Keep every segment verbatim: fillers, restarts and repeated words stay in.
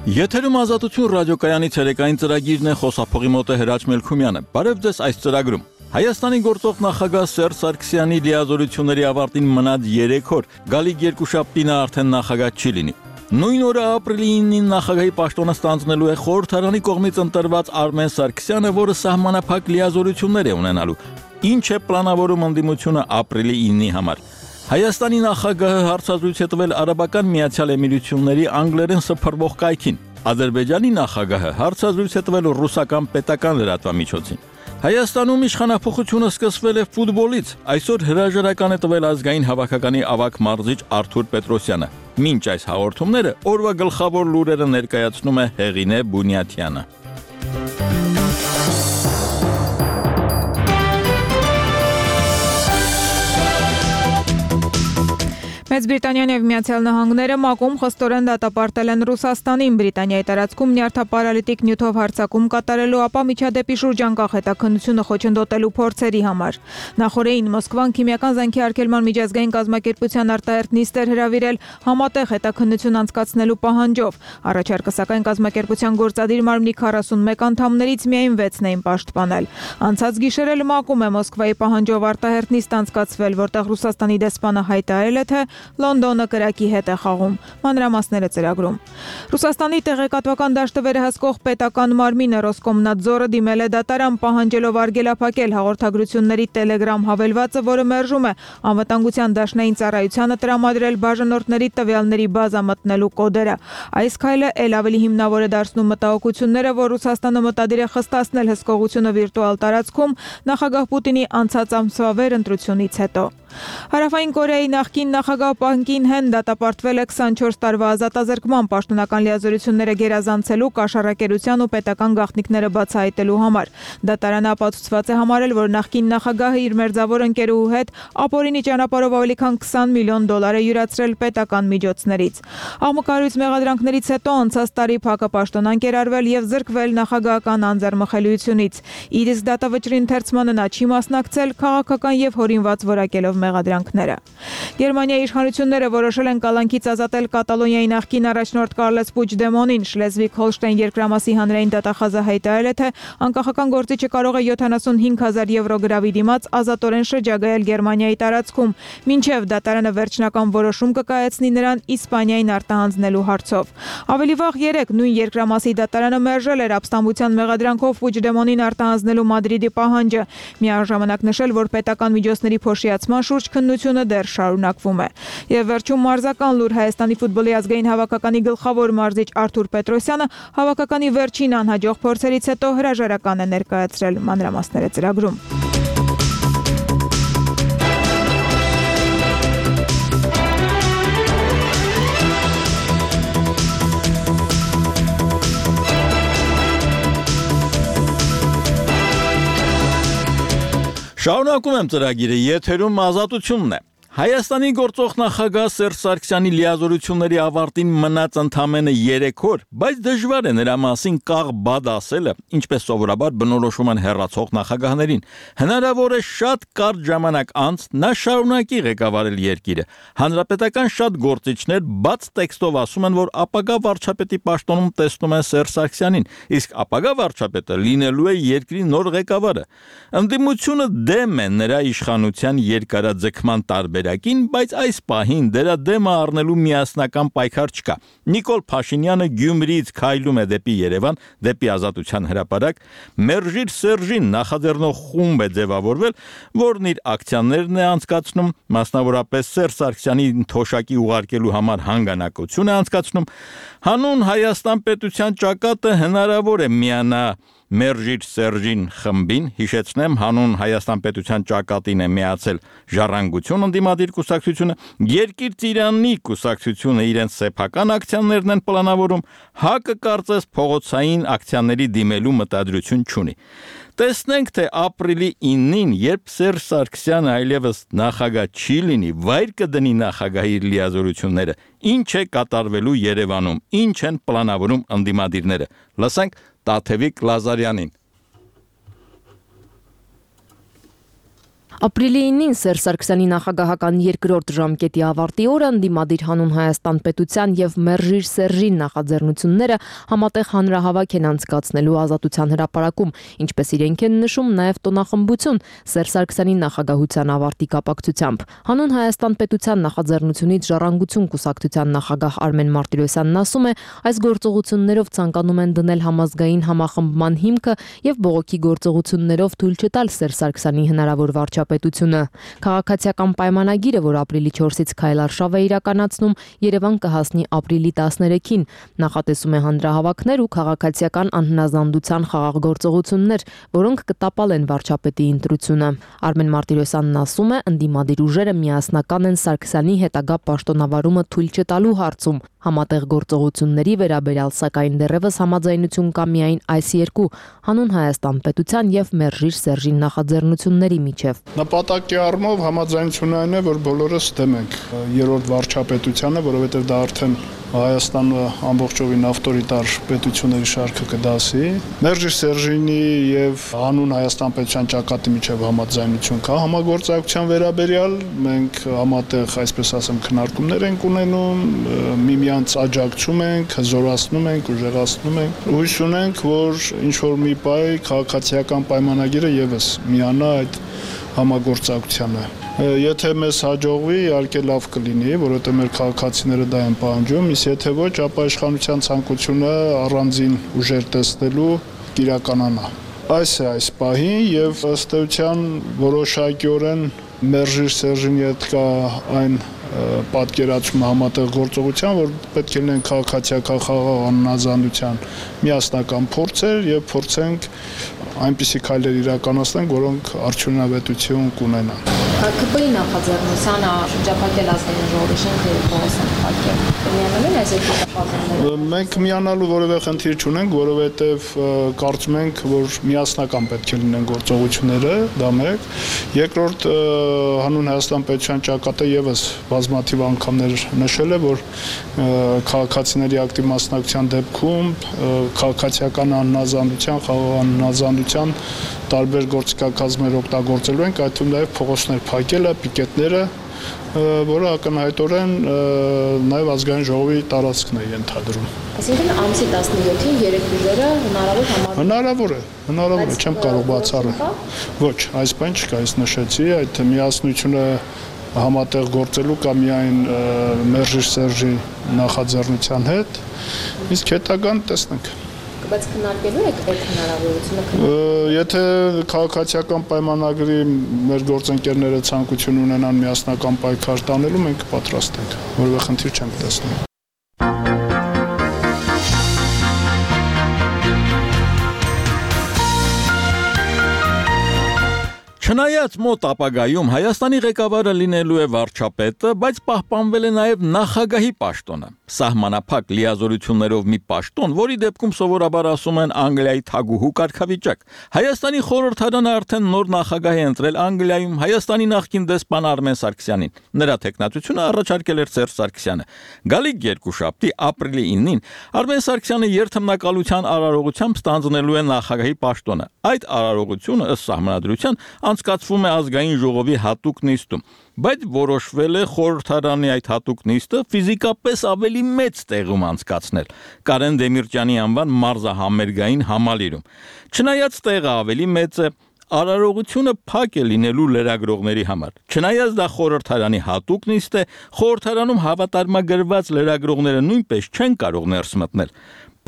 Եթերում Ազատություն ռադիոկայանի ցերեկային ծրագիրն է, խոսափողի մոտ է Հրաչ Մելքումյանը։ Բարև ձեզ այս ծրագրում։ Հայաստանի գործող նախագահ Սերժ Սարգսյանի լիազորությունների ավարտին մնաց երեք օր, գալիք երկուշաբթին արդեն նախագահ չի լինի։ Նույն օրը ապրիլի իննին նախագահի պաշտոնը ստանձնելու է խորհրդարանի կողմից ընտրված Արմեն Սարգսյանը, որը սահմանափակ լիազորություններ է ունենալու։ Ինչ է պլանավորում ընդդիմությունը ապրիլի իննի համար։ Հայաստանի նախագահը հարցազրույց է տվել Արաբական Միացյալ Էմիրությունների անգլերեն սփռվող կայքին։ Ադրբեջանի նախագահը հարցազրույց է տվել ռուսական պետական լրատվամիջոցին։ Հայաստանում իշխանափոխությունը սկսվել է ֆուտբոլից։ Այսօր հրաժարական է տվել ազգային հավաքականի ավագ մարզիչ Արթուր Պետրոսյանը։ Մինչ այս հաղորդումները օրվա գլխավոր լուրերը ներկայացնում է Հեղինե Բունյաթյանը։ Մեծ Բրիտանիան եւ Միացյալ Նահանգները ՄԱԿ-ում խստորեն դատապարտել են Ռուսաստանին Բրիտանիայի տարածքում նյարդապարալիտիկ նյութով հարձակում կատարելու, ապա միջադեպի շուրջանկախ հետաքննությունը խոչընդոտելու փորձերի համար։ Նախորդին Մոսկվան քիմիական զենքի արգելման միջազգային կազմակերպության արտահերթ նիստ էր հրավիրել համատեղ հետաքննություն անցկացնելու պահանջով։ Առաջարկը սակայն կազմակերպության գործադիր մարմնի քառասունմեկ անդամներից միայն վեցն էին պաշտպանել։ Անցած գիշեր էլ ՄԱԿ-ում է Մոսկվայի պահանջով արտահերթ նիստ անցկացվել, որտեղ Ռուսաստանի դեսպանը հայտարարել է, թե Լոնդոնը կրակի հետ է խաղում։ Մանրամասները ծրագրում։ Ռուսաստանի տեղեկատվական դաշտը վերահսկող պետական մարմինը Ռոսկոմնadzորը դիմել է դատարան, պահանջելով արգելափակել հաղորդագրությունների Telegram հավելվածը, որը մերժում է անվտանգության դաշնային ծառայությանը տրամադրել բաժանորդների տվյալների բազա մտնելու կոդերը։ Այս քայլը ել ավելի հիմնավոր է դարձնում մտահոգությունները, որ Ռուսաստանը մտադիր է խստացնել հսկողությունը վիրտուալ տարածքում նախագահ Պուտինի անցած ամսվա վերընտրությունից հետո։ Հարավային Կորեայի նախկին նախագահ Պան Կին Հեն դատապարտվել է քսանչորս տարվա ազատազրկման պաշտոնական լիազորությունները գերազանցելու, կաշառակերության ու պետական գաղտնիքները բացահայտելու համար։ Դատարանը ապացուցված է համարել, որ նախկին նախագահը իր մերձավոր ընկերուհու հետ ապօրինի ճանապարհով ավելի քան քսան միլիոն դոլար է յուրացրել պետական միջոցներից։ Աղմկարույց մեղադրանքներից հետո անցած տարի Փակը պաշտոնանկ էր արվել եւ զրկվել նախագահական անձեռմխելիությունից։ Իր իսկ դատավճռի ընթերցմանը նա չի մասնակցել, քաղաքական եւ հորինված որակելով մեղադրանքները։ Գերմանիայի իշխանությունները որոշել են կալանքից ազատել Կատալոնիայի նախկին առաջնորդ Կարլես Պուչդեմոնին։ Շլեզվիգ-Հոլշտեյն երկրամասի հանրային դատախազը հայտարարել է, թե անկախական գործիչը կարող է յոթանասունհինգ հազար եվրո գրավի դիմաց ազատորեն շրջագայել Գերմանիայի տարածքում, մինչև դատարանը վերջնական որոշում կկայացնի նրան Իսպանիային արտահանձնելու հարցով։ Ավելի վաղ երեկ նույն երկրամասի դատարանը մերժել էր ապստամբության մեղադրանքով Պուչդեմոնին արտահանձնելու Մադրիդի պահանջը, միաժամանակ նշել, որ պետական միջոցների փոշիացման շուրջ քննությունը դեռ շարունակվում է։ Եվ վերջում մարզական լուր Հայաստանի ֆուտբոլի ազգային հավաքականի գլխավոր մարզիչ Արթուր Պետրոսյանը հավաքականի վերջին անհաջող փորձերից հետո հրաժարական է ներկայացրել։ Մանրամասները ծրագրում։ Շարունակում եմ ծրագիրը, եթերում Ազատությունն է։ Հայաստանի գործող նախագահ Սերժ Սարգսյանի լիազորությունների ավարտին մնաց ընդամենը երեք օր, բայց դժվար է նրա մասին կաղ բադ ասելը, ինչպես սովորաբար բնորոշում են հեռացող նախագահներին։ Հնարավոր է շատ կարճ ժամանակ անց նա շարունակի ղեկավարել երկիրը։ Հանրապետական շատ գործիչներ բաց տեքստով ասում են, որ ապագա վարչապետի պաշտոնում տեսնում են Սերժ Սարգսյանին, իսկ ապագա վարչապետը լինելու է երկրի նոր ղեկավարը։ Ընդդիմությունը դեմ է նրա իշխանության երկարաձգման տարբեր բայց այս պահին դրա դեմը առնելու միասնական պայքար չկա։ Նիկոլ Փաշինյանը Գյումրիից քայլում է դեպի Երևան, դեպի Ազատության հրապարակ, Մերժիր Սերժին նախաձեռնող խումբ է ձևավորվել, որն իր ակցիաներն է անցկացնում, մասնավորապես Սերժ Սարգսյանի թոշակի ուղարկելու համար հանգանակություն է անցկացնում։ Հանուն Հայաստան պետության ճակատը հնարավոր է միանա Մերժիր Սերժին խմբին, հիշեցնեմ, հանուն Հայաստան պետության ճակատին է միացել Ժառանգություն ընդդիմադիր կուսակցությունը, Երկիր Ծիրանի կուսակցությունը իրենց սեփական ակցիաներն են պլանավորում, ՀԱԿ-ը կարծես փողոցային ակցիաների դիմելու մտադրություն չունի։ Տեսնենք, թե ապրիլի իննին, երբ Սերժ Սարգսյանը այլևս նախագահ չի լինի, վայր կդնի նախագահի լիազորությունները, ինչ է կատարվելու Երևանում, ինչ են պլանավորում ընդդիմադիրները։ Լսենք Տաթևիկ Լազարյանին։ Ապրիլի ինին Սերժ Սարգսյանի նախագահական երկրորդ ժամկետի ավարտի օրը ընդդիմադիր Հանուն Հայաստան պետության եւ Մերժիր Սերժին նախաձեռնությունները համատեղ հանրահավաք են անցկացնելու Ազատության հրապարակում, ինչպես իրենք են նշում նաեւ տոնախմբություն Սերժ Սարգսյանի նախագահության ավարտի կապակցությամբ։ Հանուն Հայաստան պետության նախաձեռնությունից Ժառանգություն կուսակցության նախագահ Արմեն Մարտիրոսյանն ասում է, այս գործողություններով ցանկանում են դնել համազգային համախմբման հիմքը եւ բողոքի գործողություններով թույլ չտալ Սերժ Սարգսյանի հնարավոր վարչապետությունը։ Քաղաքացիական պայմանագիրը, որ ապրիլի չորսից քայլարշավ է իրականացնում, Երևան կհասնի ապրիլի տասներեքին, նախատեսում է հանրահավաքներ ու քաղաքացիական անհնազանդության խաղաղ գործողություններ, որոնք կտապալեն վարչապետի ընտրությունը։ Արմեն Մարտիրոսյանն ասում է, ընդդիմադիր ուժերը միասնական են Սարգսյանի հետագա պաշտոնավարումը թույլ չտալու հարցում։ Համատեղ գործողությունների վերաբերյալ սակայն դեռևս համաձայնություն կա միայն այս երկու՝ Հանուն Հայաստան պետության եւ Մերժիր Սերժին նախաձեռնությունների միջև։ Նպատակի առումով համաձայնությունը այն է, որ բոլորս դեմ ենք երրորդ վարչապետությանը, որովհետեւ դա արդեն Հայաստանը ամբողջովին ավտորիտար պետությունների շարքը կդասի։ Մերժիր Սերժինի եւ Հանուն Հայաստան պետության ճակատի միջև համաձայնություն կա համագործակցության վերաբերյալ։ Մենք համատեղ, այսպես ասեմ, քննարկումներ ենք ունենում, միմյանց աջակցում ենք, հզորացնում ենք, ուժեղացնում ենք։ Հույս ունենք, որ ինչ որ մի պայ քաղաքացիական պայմանագիրը եւս միանա այդ համագործակցությանը։ Եթե մեզ հաջողվի, իհարկե լավ կլինի, որովհետեւ մեր քաղաքացիները դա են պահանջում, իսկ եթե ոչ, ապա իշխանության ցանկությունը առանձին ուժեր տեսնելու կիրականանա։ Այս է այս պահին եւ ըստ էության որոշակիորեն Մերժիր Սերժինի հետ կա այն պատկերացումը համատեղ գործողության, որ պետք է լինեն քաղաքացիական խաղաղ անհնազանդության միասնական փորձեր եւ փորձենք այնպիսի քայլեր իրականացնենք, որոնք արդյունավետություն կունենան։ ՀԿՊ-ի նախաձեռնության շրջափակել ազգային ժողովի շենքը եւ փողոցը փակել։ Միանալու այս երկու Մենք միանալու որևէ խնդիր չունենք, որովհետեւ կարծում ենք, որ միասնական պետք է լինեն գործողությունները, դա մեկ։ Երկրորդ, Հանուն Հայաստան պետության ճակատը եւս բազմաթիվ անգամներ նշել է, որ քաղաքացիների ակտիվ մասնակցության դեպքում քաղաքացիական անհնազանդության, խաղաղ անհնազանդության տարբեր գործիքակազմեր օգտագործելու ենք, այդ թվում նաև փողոցներ փակելը, պիկետները, որը ակնհայտորեն նաև ազգային ժողովի տարածքն է ենթադրում։ Այսինքն ամսի տասնյոթին երեք ուժերը հնարավոր համարվում։ Հնարավոր է, հնարավոր է, չեմ կարող բացառել։ Ոչ, այս բան չկա, ես նշեցի, այդ միասնությունը համատեղ գործելու կա միայն Մերժիր Սերժի նախաձեռնության հետ, իսկ հետագան տեսնենք։ Բայց քննարկելու եք այդ հնարավորությունը։ Եթե քաղաքացիական պայմանագրի մեր գործընկերները ցանկություն ունենան միասնական պայքար տանելու, մենք պատրաստ ենք, որևէ խնդիր չենք տեսնում։ Չնայած մոտ ապագայում Հայաստանի ղեկավարը լինելու է վարչապետը, բայց պահպանվել է նաև նախագահի պաշտոնը։ Սահմանափակ լիազորություններով մի պաշտոն, որի դեպքում սովորաբար ասում են Անգլիայի թագուհու կարգավիճակ։ Հայաստանի խորհրդարանը արդեն նոր նախագահ է ընտրել Անգլիայում Հայաստանի նախկին դեսպան Արմեն Սարգսյանին։ Նրա թեկնածությունը առաջարկել էր Սերժ Սարգսյանը։ Գալիք երկուշաբթի ապրիլի ինին Արմեն Սարգսյանը երթմնակալության արարողությամբ ստանձնելու է նախագահի պաշտոնը։ Այդ արարողությունը ըստ սահմանադրության անցկացվում է ազգային ժողովի հատուկ նիստում, բայց որոշվել է խորհրդարանի այդ հատուկ նիստը ֆիզիկապես ավելի մեծ տեղում անցկացնել Կարեն Դեմիրճյանի անվան մարզահամերգային համալիրում։ Չնայած տեղը ավելի մեծ է, արարողությունը փակ է լինելու լրագրողների համար։ Չնայած դա խորհրդարանի հատուկ նիստ է, խորհրդարանում հավատարմագրված լրագրողները նույնպես չեն կարող ներս մտնել։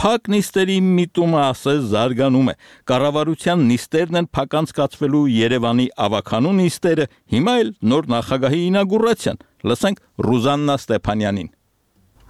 Փակ նիստերի միտումը ասես զարգանում է։ Կառավարության նիստերն են փակ անցկացվելու Երևանի ավականու նիստերը, հիմա էլ նոր նախագահի ինագուրացիան։ Լսենք Ռուզաննա Ստեփանյանին։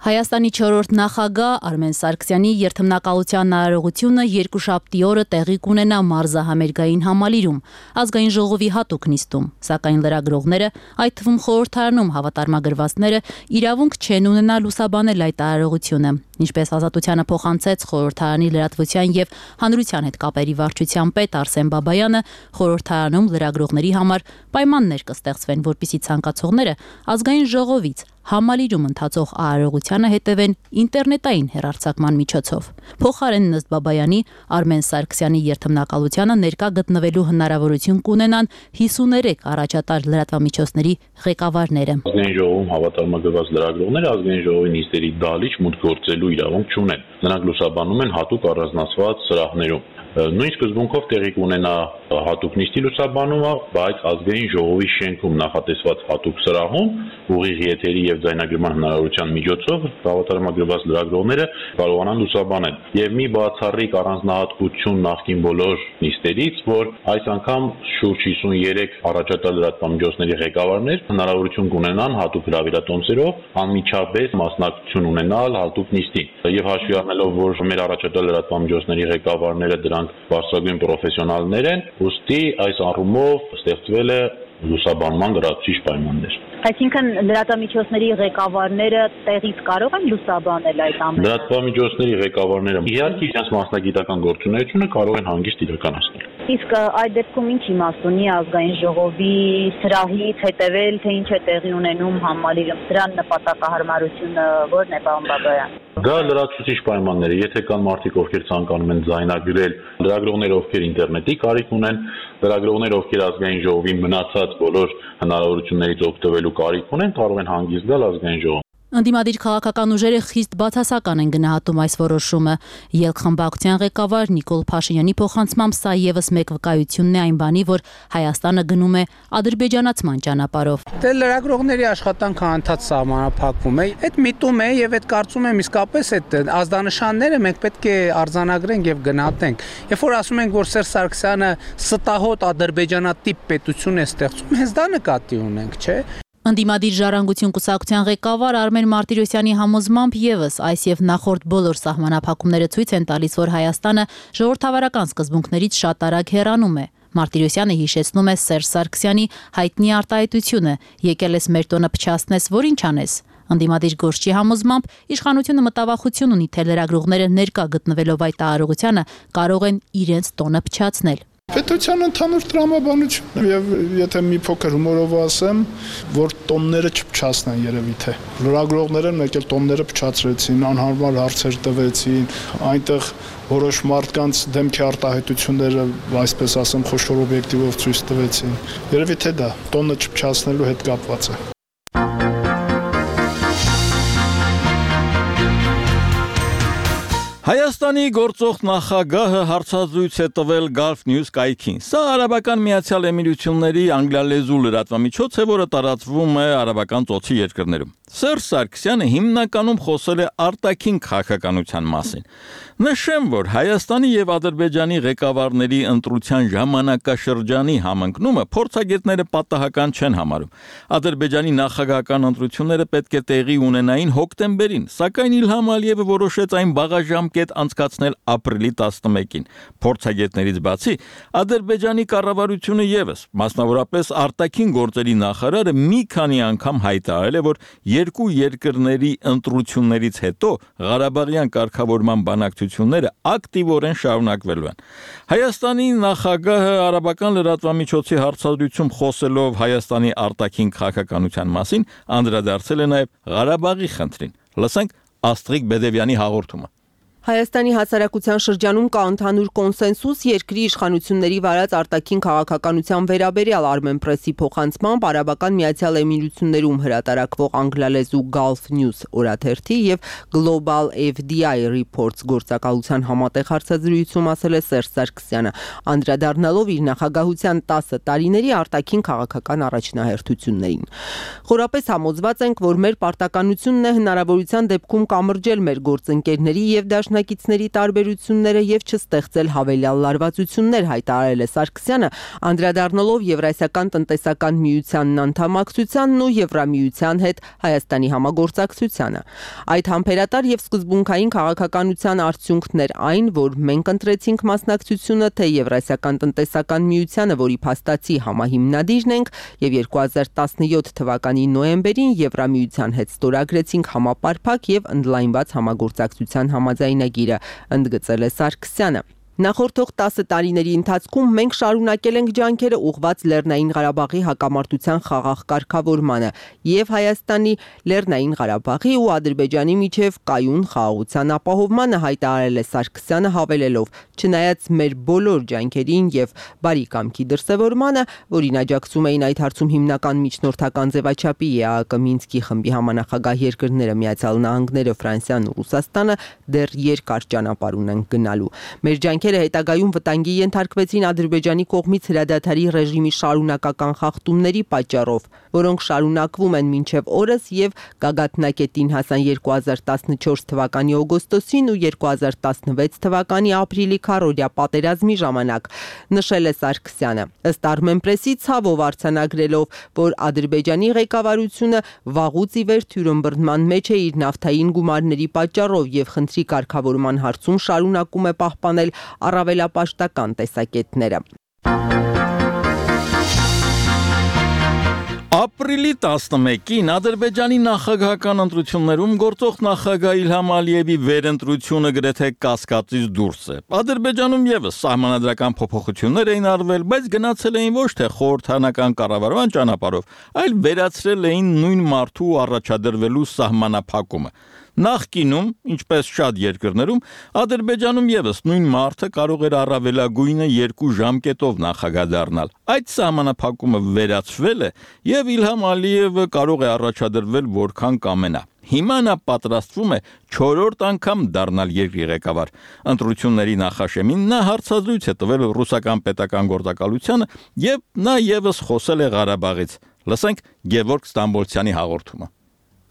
Հայաստանի չորրորդ նախագահ Արմեն Սարգսյանի երթմնակալության արարողությունը երկուշաբթի օրը տեղի կունենա մարզահամերգային համալիրում, ազգային ժողովի հատուկ նիստում, սակայն լրագրողները, այդ թվում խորհրդարանում հավատարմագրվածները, իրավունք չեն ունենա լուսաբանել այդ արարողությունը, ինչպես Ազատությանը փոխանցեց խորհրդարանի լրատվության եւ հանրության հետ կապերի վարչության պետ Արսեն Բաբայանը, խորհրդարանում լրագրողների համար պայմաններ կստեղծվեն, որպեսզի ցանկացողները ազգային ժողովից համալիրում ընթացող արարողությանը հետևեն ինտերնետային հեռարձակման միջոցով։ Փոխարեն Նստ Բաբայանի, Արմեն Սարգսյանի երթմնակալությանը ներկա գտնվելու հնարավորություն կունենան հիսուներեք առաջատար լրատվամիջոցների ղեկավարները։ Ազգային ժողովում հավատարմագրված լրագրողները ազգային ժողովի նիստերի դալիճ մուտք գործելու իրավունք չունեն։ Նրանք լուսաբանում են հատուկ առանձնացված սրահներում։ Նույն սկզբունքով տեղի կունենա հատուկ նիստի լուսաբանումը, բայց ազգային ժողովի շենքում նախատեսված հատուկ սրահում ուղիղ եթերի եւ ձայնագրման հնարավորության միջոցով հավատարմագրված լրագրողները կարողանան լուսաբանել։ Եվ մի բացառիկ առանձնահատկություն նախկին բոլոր նիստերից, որ այս անգամ շուրջ հիսունյոթ առաջատար լրատվամիջոցների ղեկավարներ հնարավորություն կունենան հատուկ հրավիրատոմսերով անմիջապես մասնակցություն ունենալ հատուկ նիստին։ Եվ հաշվի առնելով, որ մեր առաջատար լրատվամիջոցների ղեկավարները դրանք բարձրագույն պրոֆեսիոնալներ են, ուստի այս առումով ստեղծվել է լուսաբանման լրացուցիչ պայմաններ։ Այսինքն լրատվամիջոցների ղեկավարները տեղից կարող են լուսաբանել այդ ամենը։ Լրատվամիջոցների ղեկավարները իհարկե իրենց մասնագիտական գործունեությունը կարող են հանգիստ իրականացնել։ Իսկ այդ դեպքում ինչ իմաստ ունի ազգային ժողովի սրահից հետևել, թե ինչ է տեղի ունենում համալիրում, դրան նպատակահարմարությունը ո՞րն է, պարոն Բաբայան։ Դա լրացուցիչ պայմաններ է, եթե կան մարդիկ, ովքեր ցանկանում են ձայնագրել, լրագրողներ, ովքեր ինտերնետի կարիք ունեն, լրագրողներ, ովքեր ազգային ժողովի մնացած բոլոր հնարավորություններից օգտվելու կարիք ունեն, կարող են հանգիստ գալ ազգային ժողով։ Ընդդիմադիր քաղաքական ուժերը խիստ բացասական են գնահատում այս որոշումը։ Ելք-խմբակցության ղեկավար Նիկոլ Փաշինյանի փոխանցմամբ սա եւս մեկ վկայությունն է այն բանի, որ Հայաստանը գնում է ադրբեջանացման ճանապարհով։ Դե լրագրողների աշխատանքը անդադ սահմանափակվում է։ Այդ միտում է եւ այդ կարծում եմ իսկապես այդ ազդանշանները մենք պետք է արձանագրենք եւ գնահատենք։ Երբ որ ասում ենք, որ Սերժ Սարգսյանը ստահոդ ադրբեջանատիպ պետություն է ստեղծում, հենց դա նկատի ունենք, չէ՞։ Ընդդիմադիր ժառանգություն կուսակցության ղեկավար Արմեն Մարտիրոսյանի համոզմամբ եւս այս եւ նախորդ բոլոր սահմանափակումները ցույց են տալիս, որ Հայաստանը ժողովրդավարական սկզբունքներից շատ արագ հեռանում է։ Մարտիրոսյանը հիշեցնում է Սերժ Սարգսյանի հայտնի արտահայտությունը՝ եկել ես մեր տոնը փչացնես, որ ինչ անես։ Ընդդիմադիր գործչի համոզմամբ իշխանությունը մտավախություն ունի, թե լրագրողները ներկա գտնվելով այդ արարողությանը կարող են իրենց տոնը փչացնել։ Պետության ընդհանուր տրամաբանություն եւ եթե մի փոքր հումորով ասեմ, որ տոնները չփչացնեն երևի թե լրագրողները մեկ էլ տոնները փչացրեցին, անհարմար հարցեր տվեցին, այնտեղ որոշ մարդկանց դեմքի արտահայտությունները, այսպես ասեմ, խոշոր օբյեկտիվով ցույց տվեցին։ Երևի թե դա տոնը չփչացնելու հետ կապված է։ Հայաստանի գործող նախագահը հարցազրույց է տվել Gulf News կայքին։ Սա Արաբական Միացյալ Էմիրությունների անգլիալեզու լրատվամիջոց է, որը տարածվում է արաբական ծոցի երկրներում։ Սերժ Սարգսյանը հիմնականում խոսել է արտաքին քաղաքականության մասին։ Նշեմ, որ Հայաստանի եւ Ադրբեջանի ղեկավարների ընտրության ժամանակաշրջանի համընկնումը փորձագետները պատահական չեն համարում։ Ադրբեջանի նախագահական ընտրությունները պետք է տեղի ունենային հոկտեմբերին, սակայն Իլհամ Ալիևը որոշեց այն բաղաժամկետ անցկացնել ապրիլի տասնմեկին։ Փորձագետներից բացի Ադրբեջանի կառավարությունը եւս, մասնավորապես արտաքին գործերի նախարարը մի քանի անգամ հայտարարել է, որ երկու երկրների ընտրություններից հետո Ղարաբաղյան կարգավորման բանակցությունները ակտիվորեն շարունակվելու են։ Հայաստանի նախագահը արաբական լրատվամիջոցի հարցազրույցում խոսելով Հայաստանի արտաքին քաղաքականության մասին անդրադարձել է նաև Ղարաբաղի խնդրին։ Լսենք Աստրիկ Բեդևյանի հաղորդումը։ Հայաստանի հասարակության շրջանում կա ընդհանուր կոնսենսուս երկրի իշխանությունների վարած արտաքին քաղաքականության վերաբերյալ Armenpress-ի փոխանցմամբ Արաբական Միացյալ Էմիրություններում հրատարակվող անգլալեզու Gulf News օրաթերթի եւ Global F D I Reports գործակալության համատեղ հարցազրույցում ասել է Սերժ Սարգսյանը, անդրադառնալով իր նախագահության տասը տարիների արտաքին քաղաքական առաջնահերթություններին։ Խորապես համոզված ենք, որ մեր պարտականությունն է հնարավորության դեպքում կամրջել մեր գործընկերների եւ դաշնակիցների տարբերությունները եւ չստեղծել հավելյալ լարվածություններ, հայտարարել է Սարգսյանը, անդրադառնալով Եվրասիական տնտեսական միությանն անդամակցությանն ու Եվրամիության հետ Հայաստանի համագործակցությանը։ Այդ համբերատար եւ սկզբունքային քաղաքականության արդյունքն էր այն, որ մենք ընտրեցինք մասնակցությունը թե Եվրասիական տնտեսական միությանը, որի փաստացի համահիմնադիրն ենք, եւ երկու հազար տասնյոթ թվականի նոյեմբերին Եվրամիության հետ ստորագրեցինք համապարփակ եւ ընդլայնված համագործակցության համաձայնագիրը, ընդգծել է Սարգսյանը։ Նախորդող տասը տարիների ընթացքում մենք շարունակել ենք ջանքերը ուղղված Լեռնային Ղարաբաղի հակամարտության խաղաղ կարգավորմանը եւ Հայաստանի, Լեռնային Ղարաբաղի ու Ադրբեջանի միջև կայուն խաղաղության ապահովմանը, հայտարարել է Սարգսյանը, հավելելով. չնայած մեր բոլոր ջանքերին եւ բարի կամքի դրսեւորմանը, որին աջակցում էին այդ հարցում հիմնական միջնորդական ձևաչափի ԵԱՀԿ Մինսկի խմբի համանախագահ երկրները Միացյալ Նահանգները, Ֆրանսիան ու Ռուսաստանը, դեռ երկար ճանապարհ ունեն գնալու։ Մեր ջանքերը հետագայում վտանգի ենթարկվեցին Ադրբեջանի կողմից հրադադարի ռեժիմի շարունակական խախտումների պատճառով, որոնք շարունակվում են մինչև օրս եւ գագաթնակետին հասան երկու հազար տասնչորս թվականի օգոստոսին ու երկու հազար տասնվեց թվականի ապրիլի քառօրյա պատերազմի ժամանակ, նշել է Սարգսյանը։ Ըստ Armenpress-ի ցավով արձանագրելով, որ Ադրբեջանի ղեկավարությունը վաղուց ի վեր թյուրըմբռնման մեջ է իր նավթային գումարների պատճառով եւ խնդրի կարգավորման հարցում շարունակում է պահպանել առավելապաշտական տեսակետները։ Ապրիլի տասնմեկին Ադրբեջանի նախագահական ընտրություններում գործող նախագահ Իլհամ Ալիևի վերընտրությունը գրեթե կասկածից դուրս է։ Ադրբեջանում եւս սահմանադրական փոփոխություններ էին արվել, բայց գնացել էին ոչ թե խորհրդանական կառավարման ճանապարհով, այլ վերացրել էին նույն մարդու առաջադրվելու սահմանափակումը։ Նախկինում, ինչպես շատ երկրներում, Ադրբեջանում եւս նույն մարդը կարող էր առավելագույնը երկու ժամկետով նախագահ դառնալ։ Այդ սահմանափակումը վերացվել է եւ Իլհամ Ալիևը կարող է առաջադրվել որքան կամենա։ Հիմա նա պատրաստվում է չորրորդ անգամ դառնալ երկրի ղեկավար։ Ընտրությունների նախաշեմին նա հարցազրույց է տվել ռուսական պետական գործակալությանը եւ նա եւս խոսել է Ղարաբաղից։ Լսենք Գևորգ Ստամբոլցյանի հաղորդումը։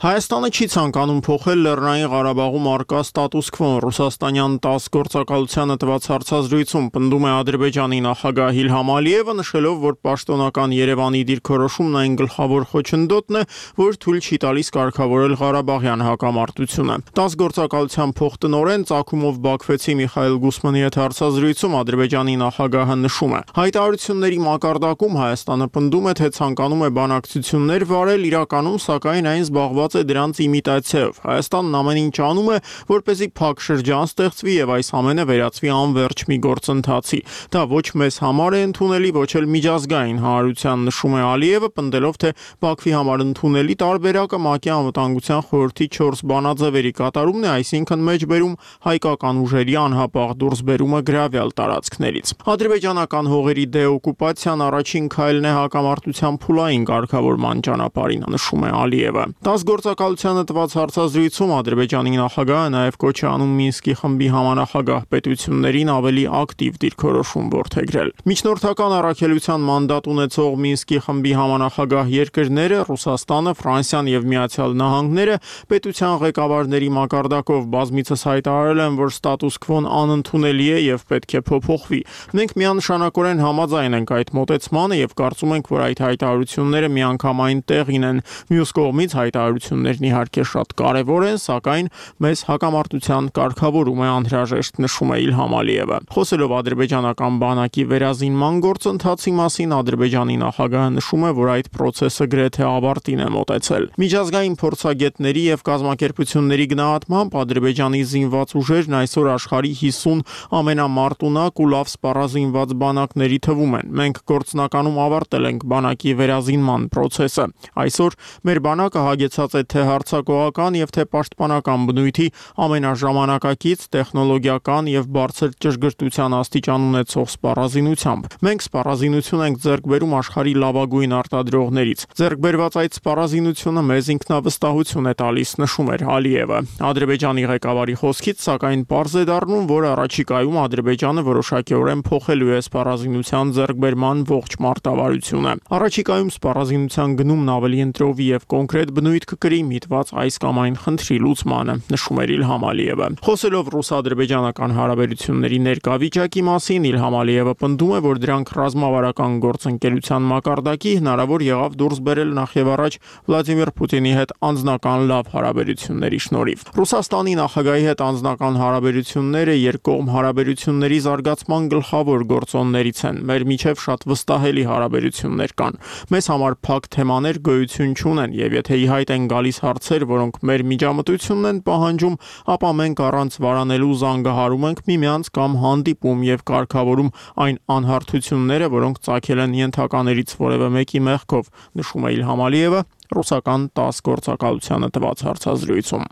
Հայաստանը չի ցանկանում փոխել Լեռնային Ղարաբաղում առկա ստատուս քվոն։ Ռուսաստանյան տաս գործակալությանը տված հարցազրույցում պնդում է Ադրբեջանի նախագահ Իլհամ Ալիևը, նշելով, որ պաշտոնական Երևանի դիրքորոշումն այն գլխավոր խոչընդոտն է, որ թույլ չի տալիս կարգավորել Ղարաբաղյան հակամարտությունը։ տաս գործակալության փոխտնօրեն Ծագումով Բաքվեցի Միխայել Գուսմանի հետ հարցազրույցում Ադրբեջանի նախագահը նշում է. հայտարարությունների մակարդակում Հայաստանը պնդում է, թե ցանկանում է բանակցություններ վարել, իրականում սակայն այն զբաղված է դրանց իմիտացիայով։ Հայաստանն ամեն ինչ անում է, որպեսզի փակ շրջան ստեղծվի եւ այս ամենը վերածվի անվերջ մի գործընթացի։ Դա ոչ մեզ համար է ընդունելի, ոչ էլ միջազգային հանրության, նշում է Ալիևը, պնդելով, թե Բաքվի համար ընդունելի տարբերակը ՄԱԿ-ի անվտանգության խորհրդի չորս բանաձևերի կատարումն է, այսինքն մեջբերում հայկական ուժերի անհապաղ դուրսբերումը գրավյալ տարածքներից։ Ադրբեջանական հողերի դեօկուպացիան առաջին քայլն է հակամարտության փուլային կարգավորման ճանապարհին, նշում է Ալիևը։ տաս գործակալությանը տված հարցազրույցում Ադրբեջանի նախագահը նաև կոչ է անում Մինսկի խմբի համանախագահ պետություններին ավելի ակտիվ դիրքորոշում որդեգրել։ Միջնորդական առաքելության մանդատ ունեցող Մինսկի խմբի համանախագահ երկրները Ռուսաստանը, Ֆրանսիան եւ Միացյալ Նահանգները պետության ղեկավարների մակարդակով բազմիցս հայտարարել են, որ ստատուս քվոն անընդունելի է եւ պետք է փոփոխվի։ Մենք միանշանակորեն համաձայն ենք այդ մոտեցմանը եւ կարծում ենք, որ այդ հայտարարությունները միանգամայն տեղին են։ Մյուս կողմից հայտարարություններն իհարկե շատ կարևոր են, սակայն մեզ հակամարտության կարգավորում է անհրաժեշտ, նշում է Իլհամ Ալիևը։ Խոսելով ադրբեջանական բանակի վերազինման գործընթացի մասին, Ադրբեջանի նախագահը նշում է, որ այդ process-ը գրեթե ավարտին է մոտեցել։ Միջազգային փորձագետների եւ կազմակերպությունների գնահատմամբ Ադրբեջանի զինված ուժերն այսօր աշխարհի հիսուն ամենամարտունակ ու լավ սպառազինված բանակների թվում են։ Մենք գործնականում ավարտել ենք բանակի վերազինման process-ը։ Այսօր մեր բանակը հագեցած է թե հարձակողական եւ թե պաշտպանական բնույթի ամենաժամանակակից տեխնոլոգիական եւ բարձր ճշգրտության աստիճան ունեցող սպառազինությամբ։ Մենք սպառազինություն ենք ձեռք բերում աշխարհի լավագույն արտադրողներից։ Ձեռք բերված այդ սպառազինությունը մեզ ինքնավստահություն է տալիս, նշում էր Ալիևը։ Ադրբեջանի ղեկավարի խոսքից սակայն պարզ է դառնում, որ առաջիկայում Ադրբեջանը որոշակիորեն փոխելու է սպառազինության ձեռքբերման ողջ մարտավարությունը։ Առաջիկայում սպառազինության գնումն ավելի ընտրովի եւ կոնկրետ բնույթ կկրի միտված այս կամ այն խնդրի լուծմանը, նշում էր Իլհամ Ալիևը։ Խոսելով ռուս-ադրբեջանական հարաբերությունների ներկա վիճակի մասին, Իլհամ Ալիևը պնդում է, որ դրանք ռազմավարական գործընկերության մակարդակի հնարավոր եղավ դուրս բերել նախևառաջ Վլադիմիր Պուտինի հետ անձնական լավ հարաբերությունների շնորհիվ։ Ռուսաստանի նախագահի հետ անձնական հարաբերությունները երկկողմ հարաբերությունների զարգացման գլխավոր գործոններից են։ Մեր միջև շատ վստահելի հարաբերություններ կան։ Մեզ համար փակ թեմաներ գոյություն չունեն եւ եթե ի հայտ են գալիս հարցեր, որոնք մեր միջամտությունն են պահանջում, ապա մենք առանց վարանելու զանգահարում ենք միմյանց կամ հանդիպում եւ կարգավորում այն անհարթությունները, որոնք ծագել են ենթականերից որևէ մեկի մեղքով, նշում է Իլհամ Ալիևը ռուսական տաս գործակալությանը տված հարցազրույցում։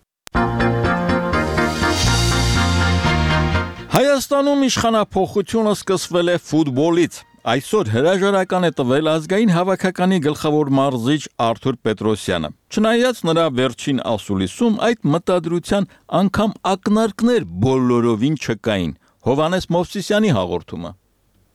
Հայաստանում իշխանափոխությունը սկսվել է ֆուտբոլից։ Այսօր հրաժարական է տվել ազգային հավաքականի գլխավոր մարզիչ Արթուր Պետրոսյանը։ Չնայած նրա վերջին ասուլիսում այդ մտադրության անգամ ակնարկներ բոլորովին չկային։ Հովհաննես Մովսիսյանի հաղորդումը։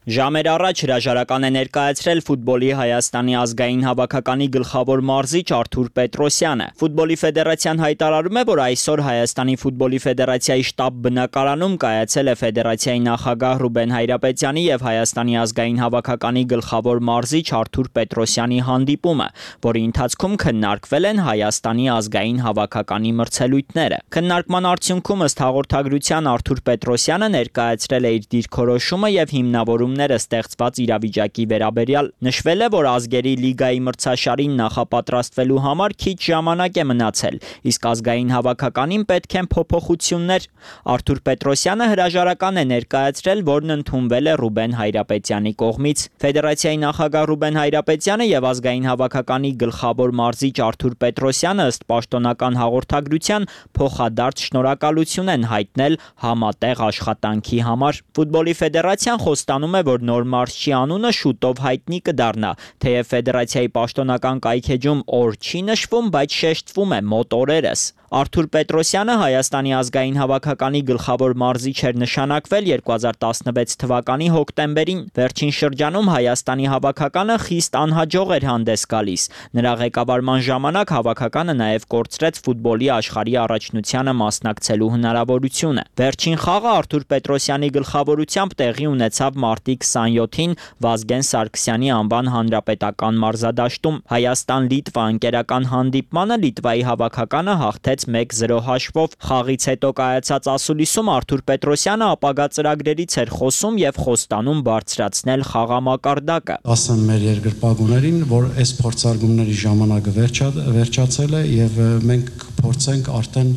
Ժամեր առաջ հրաժարական է ներկայացրել ֆուտբոլի Հայաստանի ազգային հավաքականի գլխավոր մարզիչ Արթուր Պետրոսյանը։ Ֆուտբոլի ֆեդերացիան հայտարարում է, որ այսօր Հայաստանի ֆուտբոլի ֆեդերացիայի շտաբ բնակարանում կայացել է ֆեդերացիայի նախագահ Ռուբեն Հայրապետյանի եւ Հայաստանի ազգային հավաքականի գլխավոր մարզիչ Արթուր Պետրոսյանի հանդիպումը, որի ընթացքում քննարկվել են Հայաստանի ազգային հավաքականի մրցելույթները։ Քննարկման արդյունքում ըստ հաղորդագրության Արթուր Պետրոսյանը ներկայացրել է իր դիրքորոշումը եւ հիմնավորում ստեղծված իրավիճակի վերաբերյալ նշվել է, որ ազգերի լիգայի մրցաշարին նախապատրաստվելու համար քիչ ժամանակ է մնացել, իսկ ազգային հավաքականին պետք են փոփոխություններ։ Արթուր Պետրոսյանը հրաժարական է ներկայացրել, որն ընդունվել է Ռուբեն Հայրապետյանի կողմից։ Ֆեդերացիայի նախագահ Ռուբեն Հայրապետյանը եւ ազգային հավաքականի գլխավոր մարզիչ Արթուր Պետրոսյանը ըստ պաշտոնական հաղորդագրության փոխադարձ շնորհակալություն են հայտնել համատեղ աշխատանքի համար։ Ֆուտբոլի ֆեդերացիան խոստանում է, որ նոր մարզչի անունը շուտով հայտնի կդառնա, թեև ֆեդերացիայի պաշտոնական կայքեջում օր չի նշվում, բայց շեշտվում է մոտ օրերս։ Արթուր Պետրոսյանը Հայաստանի ազգային հավաքականի գլխավոր մարզիչ էր նշանակվել երկու հազար տասնվեց թվականի հոկտեմբերին։ Վերջին շրջանում Հայաստանի հավաքականը խիստ անհաջող էր հանդես գալիս։ Նրա ղեկավարման ժամանակ հավաքականը նաև կորցրեց ֆուտբոլի աշխարհի առաջնությանը մասնակցելու հնարավորությունը։ Վերջին խաղը Արթուր Պետրոսյանի գլխավորությամբ տեղի ունեցավ մարտի քսանյոթին Վազգեն Սարգսյանի անվան հանրապետական մարզադաշտում։ Հայաստան-Լիտվա ընկերական հանդիպմանը Լիտվայի հավաքականը հաղթեց մեկ զրո հաշվով։ Խաղից հետո կայացած ասուլիսում Արթուր Պետրոսյանը ապագա ծրագրերից էր խոսում եւ խոստանում բարձրացնել խաղամակարդակը։ Ասեմ մեր երկրպագուներին, որ այս փորձարկումների ժամանակը վերջա, վերջացել է եւ մենք կփորձենք արդեն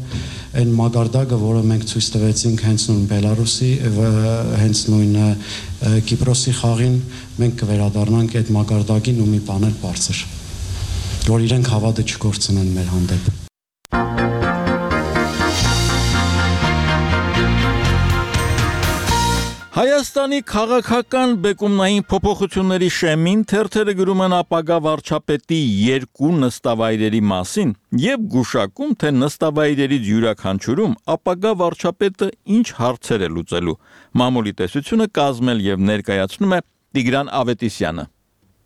այն մակարդակը, որը մենք ցույց տվեցինք հենց նույն Բելարուսի, հենց նույն Կիպրոսի խաղին, մենք կվերադառնանք այդ մակարդակին ու մի բաներ բարձր, որ իրենք հավատը չկորցնեն մեր հանդեպ։ Հայաստանի քաղաքական բեկումնային փոփոխությունների շեմին թերթերը գրում են ապագա վարչապետի երկու նստավայրերի մասին եւ գուշակում, թե նստավայրերից յուրաքանչյուրում ապագա վարչապետը ինչ հարցեր է լուծելու։ Մամուլի տեսությունը կազմել եւ ներկայացնում է Տիգրան Ավետիսյանը։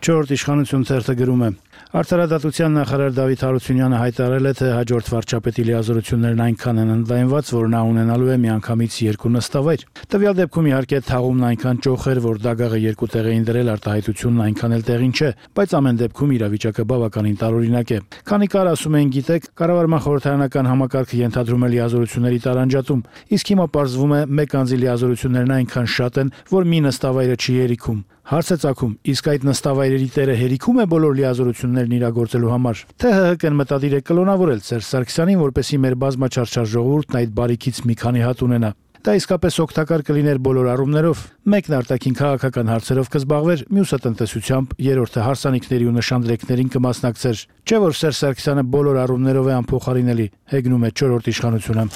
Չորրորդ իշխանություն թերթը գրում է. Արդարադատության նախարար Դավիթ Հարությունյանը հայտարարել է, թե հաջորդ վարչապետի լիազորություններն այնքան են ընդլայնված, որ նա ունենալու է միանգամից երկու նստավայր։ Տվյալ դեպքում իհարկե թաղումն այնքան ճոխ էր, որ դագաղը երկու տեղ էին դրել, արտահայտությունն այնքան էլ տեղին չէ, բայց ամեն դեպքում իրավիճակը բավականին տարօրինակ է։ Քանի կար ասում էին, գիտեք, կառավարման խորհրդարանական համակարգը ենթադրում է լիազորությունների տարանջատում, իսկ հիմա պարզվում է մեկ անձի լիազորություններն այնքան շատ են, որ մի նստավայրը չի երիքում։ Հարց է ծագում, իսկ այդ նստավայրերի տերը հերիքում է բոլոր լիազորություններն իրագործելու համար։ Թե ՀՀԿ-ն մտադիր է կլոնավորել Սերժ Սարգսյանին, որպեսզի մեր բազմաչարչար ժողովուրդն այդ բարիքից մի քանի հատ ունենա։ Դա իսկապես օգտակար կլիներ բոլոր առումներով։ Մեկն արտաքին քաղաքական հարցերով կզբաղվեր, մյուսը տնտեսությամբ, երրորդը հարսանիքների ու նշանդրեկներին կմասնակցեր։ Չէ՞ որ Սերժ Սարգսյանը բոլոր առումներով է անփոխարինելի, հեգնում է չորրորդ իշխանությունը։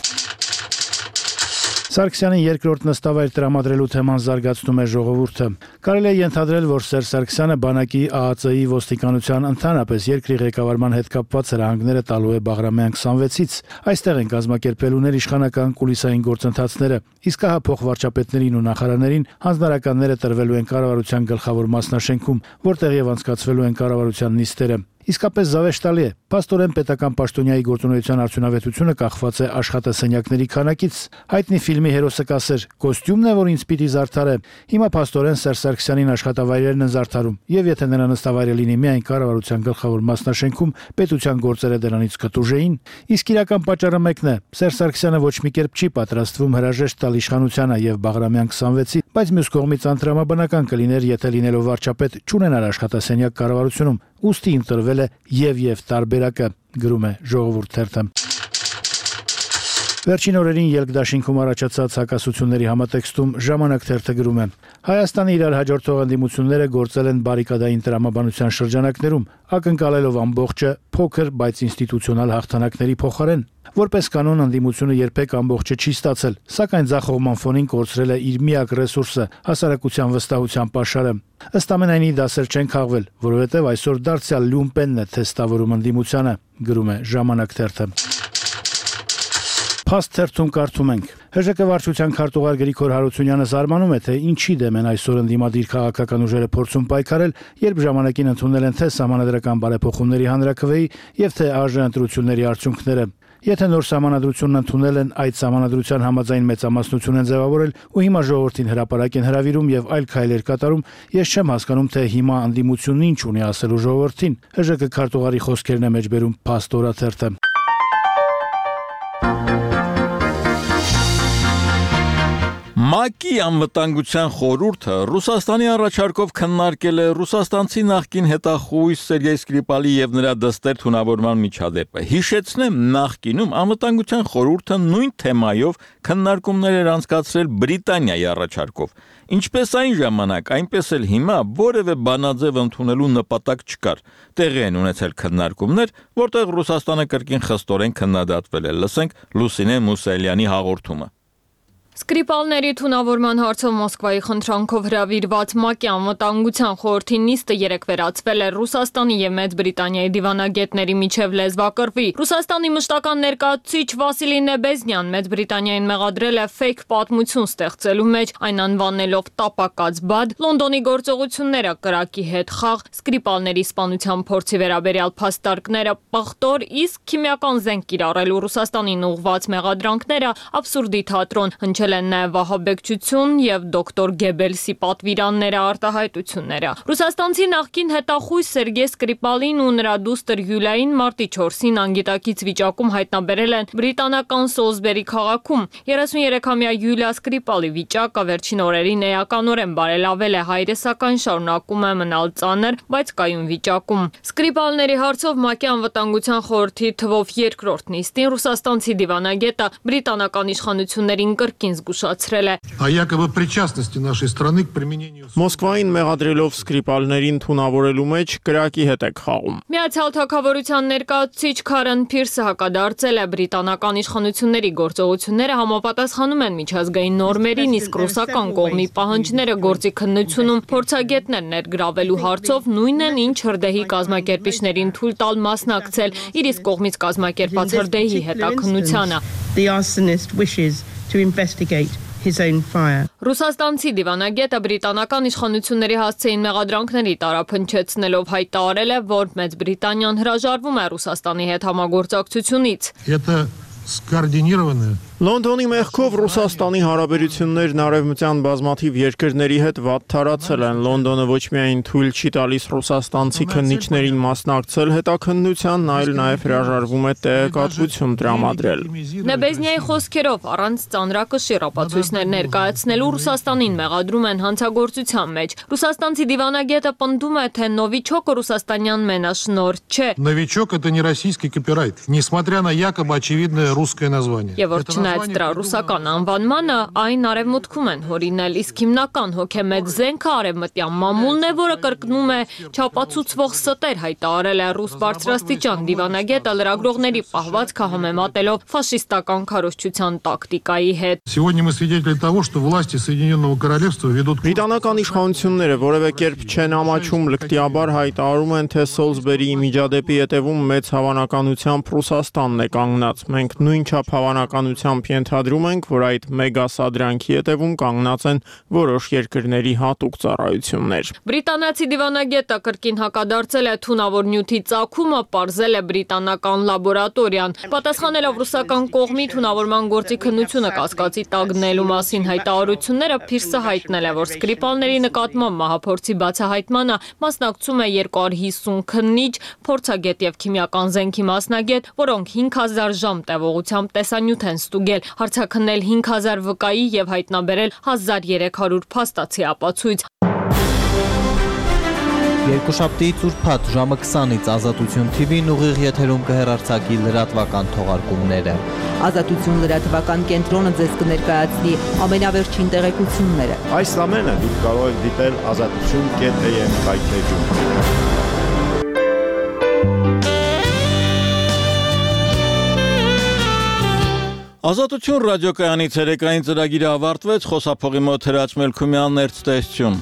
Սարգսյանին երկրորդ նստավայր տրամադրելու թեման զարգացնում է ժողովուրդը։ Կարելի է ենթադրել, որ Սերժ Սարգսյանը բանակի, ԱԱԾ-ի, ոստիկանության, ընդհանրապես երկրի ղեկավարման հետ կապված հրահանգները տալու է Բաղրամյան քսանվեցից։ Այստեղ են կազմակերպելու ներիշխանական կուլիսային գործընթացները, իսկ հա փոխվարչապետներին ու նախարարներին հանձնարարականները տրվելու են կառավարության գլխավոր մասնաշենքում, որտեղ եւ անցկացվելու են կառավարության նիստերը։ Իսկապես զավեշտալի է։ Փաստորեն պետական պաշտոնյայի գործունեության արդյունավետությունը կախված է աշխատասենյակների քանակից։ Հայտնի ֆիլմի հերոսը կասեր. «Կոստյումն է, որ ինձ պիտի զարդարե»։ Հիմա փաստորեն Սերժ Սարգսյանին աշխատավայրերն են զարդարում, եւ եթե նրա նստավայրը լինի միայն կառավարության գլխավոր մասնաշենքում, պետության գործերը դրանից կտուժեին։ Իսկ իրական պատճառը մեկն է. Սերժ Սարգսյանը ոչ մի կերպ չի պատրաստվում հրաժեշտ տալ իշխանությանը եւ Բաղրամյան քսանվեցի բայց մյուս կողմից անտրամաբանական կլիներ, եթե լինելով վարչապետ չունենար աշխատասենյակ կառավարությունում, ուստի ընտրվել է եւ-եւ տարբերակը, գրում է Ժողովուրդ թերթը։ Վերջին օրերին ելքդաշինքում առաջացած հակասությունների համատեքստում Ժամանակ թերթը գրում է. Հայաստանի իրար հաջորդող ընդդիմությունները գործել են բարիկադային տրամաբանության շրջանակներում, ակնկալելով ամբողջը փոքր, բայց ինստիտուցիոնալ հաղթանակների փոխարեն։ Որպես կանոն ընդդիմությունը երբեք ամբողջը չի ստացել, սակայն ձախողման ֆոնին կորցրել է իր միակ ռեսուրսը՝ հասարակության վստահության պաշարը։ Ըստ ամենայնի դասեր չեն քաղվել, որովհետև այսօր դարձյալ լյումպենն է թեստավորում ընդդիմությանը, գրում է Ժամանակ թերթը։ Փաստ թերթում կարդում ենք. ՀԺԿ վարչության քարտուղար Գրիգոր Հարությունյանը զարմանում է, թե ինչի դեմ են այսօր ընդդիմադիր քաղաքական ուժերը փորձում պայքարել, երբ ժամանակին ընդունել են թե սահմանադրական բարեփոխումների հանրաքվեի եւ թե ԱԺ ընտրությունների արդյունքները։ Եթե նոր սահմանադրությունն ընդունել են, այդ սահմանադրության համաձայն մեծամասնություն են ձևավորել ու հիմա ժողովրդին հրապարակ են հրավիրում եւ այլ քայլեր կատարում, ես չեմ հասկանում, թե հիմա ընդդիմությունն ինչ ունի ասելու ժողովրդին։ ՀԺԿ քարտուղարի խոսքերն է մեջբերում Փաստ օրաթերթը։ ՄԱԿ-ի անվտանգության խորհուրդը Ռուսաստանի առաջարկով քննարկել է ռուսաստանցի նախկին հետախույզ Սերգեյ Սկրիպալի եւ նրա դստեր թունավորման միջադեպը։ Հիշեցնեմ, նախկինում անվտանգության խորհուրդը նույն թեմայով քննարկումներ էր անցկացրել Բրիտանիայի առաջարկով։ Ինչպես այն ժամանակ, այնպես էլ հիմա որևէ բանաձև ընդունելու նպատակ չկար։ Տեղի են ունեցել քննարկումներ, որտեղ Ռուսաստանը կրկին խստորեն քննադատվել է։ Լսենք Լուսինե Մուսայելյանի հաղորդումը։ Սկրիպալների թունավորման հարցով Մոսկվայի խնդրանքով հրավիրված ՄԱԿ-ի անվտանգության խորհրդի նիստը երեկ վերացվել է Ռուսաստանի եւ Մեծ Բրիտանիայի դիվանագետների միջև լեզվակռվի։ Ռուսաստանի մշտական ներկայացուցիչ Վասիլի Նեբեզնյան Մեծ Բրիտանիային մեղադրել է ֆեյք պատմություն ստեղծելու մեջ, այն անվանելով տապակած բադ, Լոնդոնի գործողությունները կրակի հետ խաղ, Սկրիպալների սպանության փորձի վերաբերյալ փաստարկները պղտոր, իսկ քիմիական զենք կիրառելու Ռուսաստանին ուղղված մեղադրանքները абսուրդի թատրոն, են նաև վահաբեկչություն եւ դոկտոր Գեբելսի պատվիրանները արտահայտությունները։ Ռուսաստանցի նախկին հետախույզ Սերգեյ Սկրիպալին ու նրա դուստր Յուլիային մարտի չորսին անգիտակից վիճակում հայտնաբերել են բրիտանական Սոլսբերի քաղաքում։ երեսուներեքամյա Յուլիա Սկրիպալի վիճակը վերջին օրերին էականորեն բարելավել է, հայրը սակայն շարունակում է մնալ ծանր, բայց կայուն վիճակում։ Սկրիպալների հարցով ՄԱԿ-ի անվտանգության խորհրդի թվով երկրորդ նիստին ռուսաստանցի դիվանագետը բրիտանական իշխանություններին կրկին զգուշացրել է։ Մոսկվային մեղադրելով Սկրիպալներին թունավորելու մեջ կրակի հետ է խաղում։ Միացյալ Թագավորության ներկայացուցիչ Քարեն Փիրսը հակադարձել է բրիտանական իշխանությունների գործողությունները համապատասխանում են միջազգային նորմերին, իսկ ռուսական կողմի պահանջները գործի քննությունում փորձագետներ ներգրավելու հարցով նույնն են, ինչ հրդեհի կազմակերպիչներին թույլ տալ մասնակցել իր իսկ կողմից կազմակերպած հրդեհի հետաքննությանը։ To investigate his own fire. Ռուսաստանցի դիվանագետը բրիտանական իշխանությունների հասցեին մեղադրանքների տարափնչեցնելով հայտարարել է, որ Մեծ Բրիտանիան հրաժարվում է Ռուսաստանի հետ համագործակցությունից։ Это скоординированное Լոնդոնի մեղքով Ռուսաստանի հարաբերություններն արևմտյան բազմաթիվ երկրների հետ վատ թարացել են։ Լոնդոնը ոչ միայն թույլ չի տալիս ռուսաստանցի քննիչներին մասնակցել հետաքննությանն, այլ նաև հրաժարվում է տեղեկատվություն տրամադրել։ Նեբեզնյայի խոսքերով առանց ծանրակշիռ ապացույցներ ներկայացնելու Ռուսաստանին մեղադրում են հանցագործության մեջ։ Ռուսաստանցի դիվանագետը պնդում է, թե նովիչոկը ռուսաստանյան մենաշնորհ չէ։ Новичок это не российский копирайт, несмотря на якобы очевидное русское название. Նայած դրա ռուսական անվանմանը, այն արևմուտքում են հորինել, իսկ հիմնական հոգեմեծ զենքը արևմտյան մամուլն է, որը կրկնում է չապացուցվող ստեր, հայտարարել է ռուս բարձրաստիճան դիվանագետը լրագրողների պահվածքը համեմատելով ֆաշիստական քարոզչության տակտիկայի հետ։ Сегодня мы свидетели того, что власти Соединенного Королевства ведут Բրիտանական իշխանությունները որևէ կերպ չեն ամաչում, լկտիաբար հայտարարում են, թե Սոլսբերիի միջադեպի հետևում մեծ հավանականությամբ Ռուսաստանն է կանգնած։ Մենք նույնչափ հավանականությամբ ենթադրում ենք, որ այդ մեգա սադրանքի հետևում կանգնած են որոշ երկրների հատուկ ծառայություններ։ Բրիտանացի դիվանագետը կրկին հակադարձել է թունավոր նյութի ծագումը, պարզել է բրիտանական լաբորատորիան։ Պատասխանելով ռուսական կողմի թունավորման գործի քննությունը կասկածի տակ դնելու մասին հայտարարությունները, Փիրսը հայտնել է, որ Սկրիպալների նկատմամբ մահափորձի բացահայտմանը մասնակցում է երկու հարյուր հիսուն քննիչ, փորձագետ եւ քիմիական զենքի մասնագետ, որոնք հինգ հազար ժամ տևողությամբ տեսանյութ են ստուգել փրկել, հարցաքննել հինգ հազար վկայի եւ հայտնաբերել հազար երեք հարյուր փաստացի ապացույց։ Երկուշաբթիից ուրբաթ ժամը քսանից Ազատություն Թի Վին ուղիղ եթերում կհեռարձակի լրատվական թողարկումները։ Ազատություն լրատվական կենտրոնը ձեզ կներկայացնի ամենավերջին տեղեկությունները։ Այս ամենը դուք կարող եք դիտել ազատություն կետ էյ էմ հայթեջում։ Ազատություն ռադիոկայանի ցերեկային ծրագիրը ավարտվեց, խոսափողի մոտ Հրաչ Մելքումյանն էր ցտեսություն։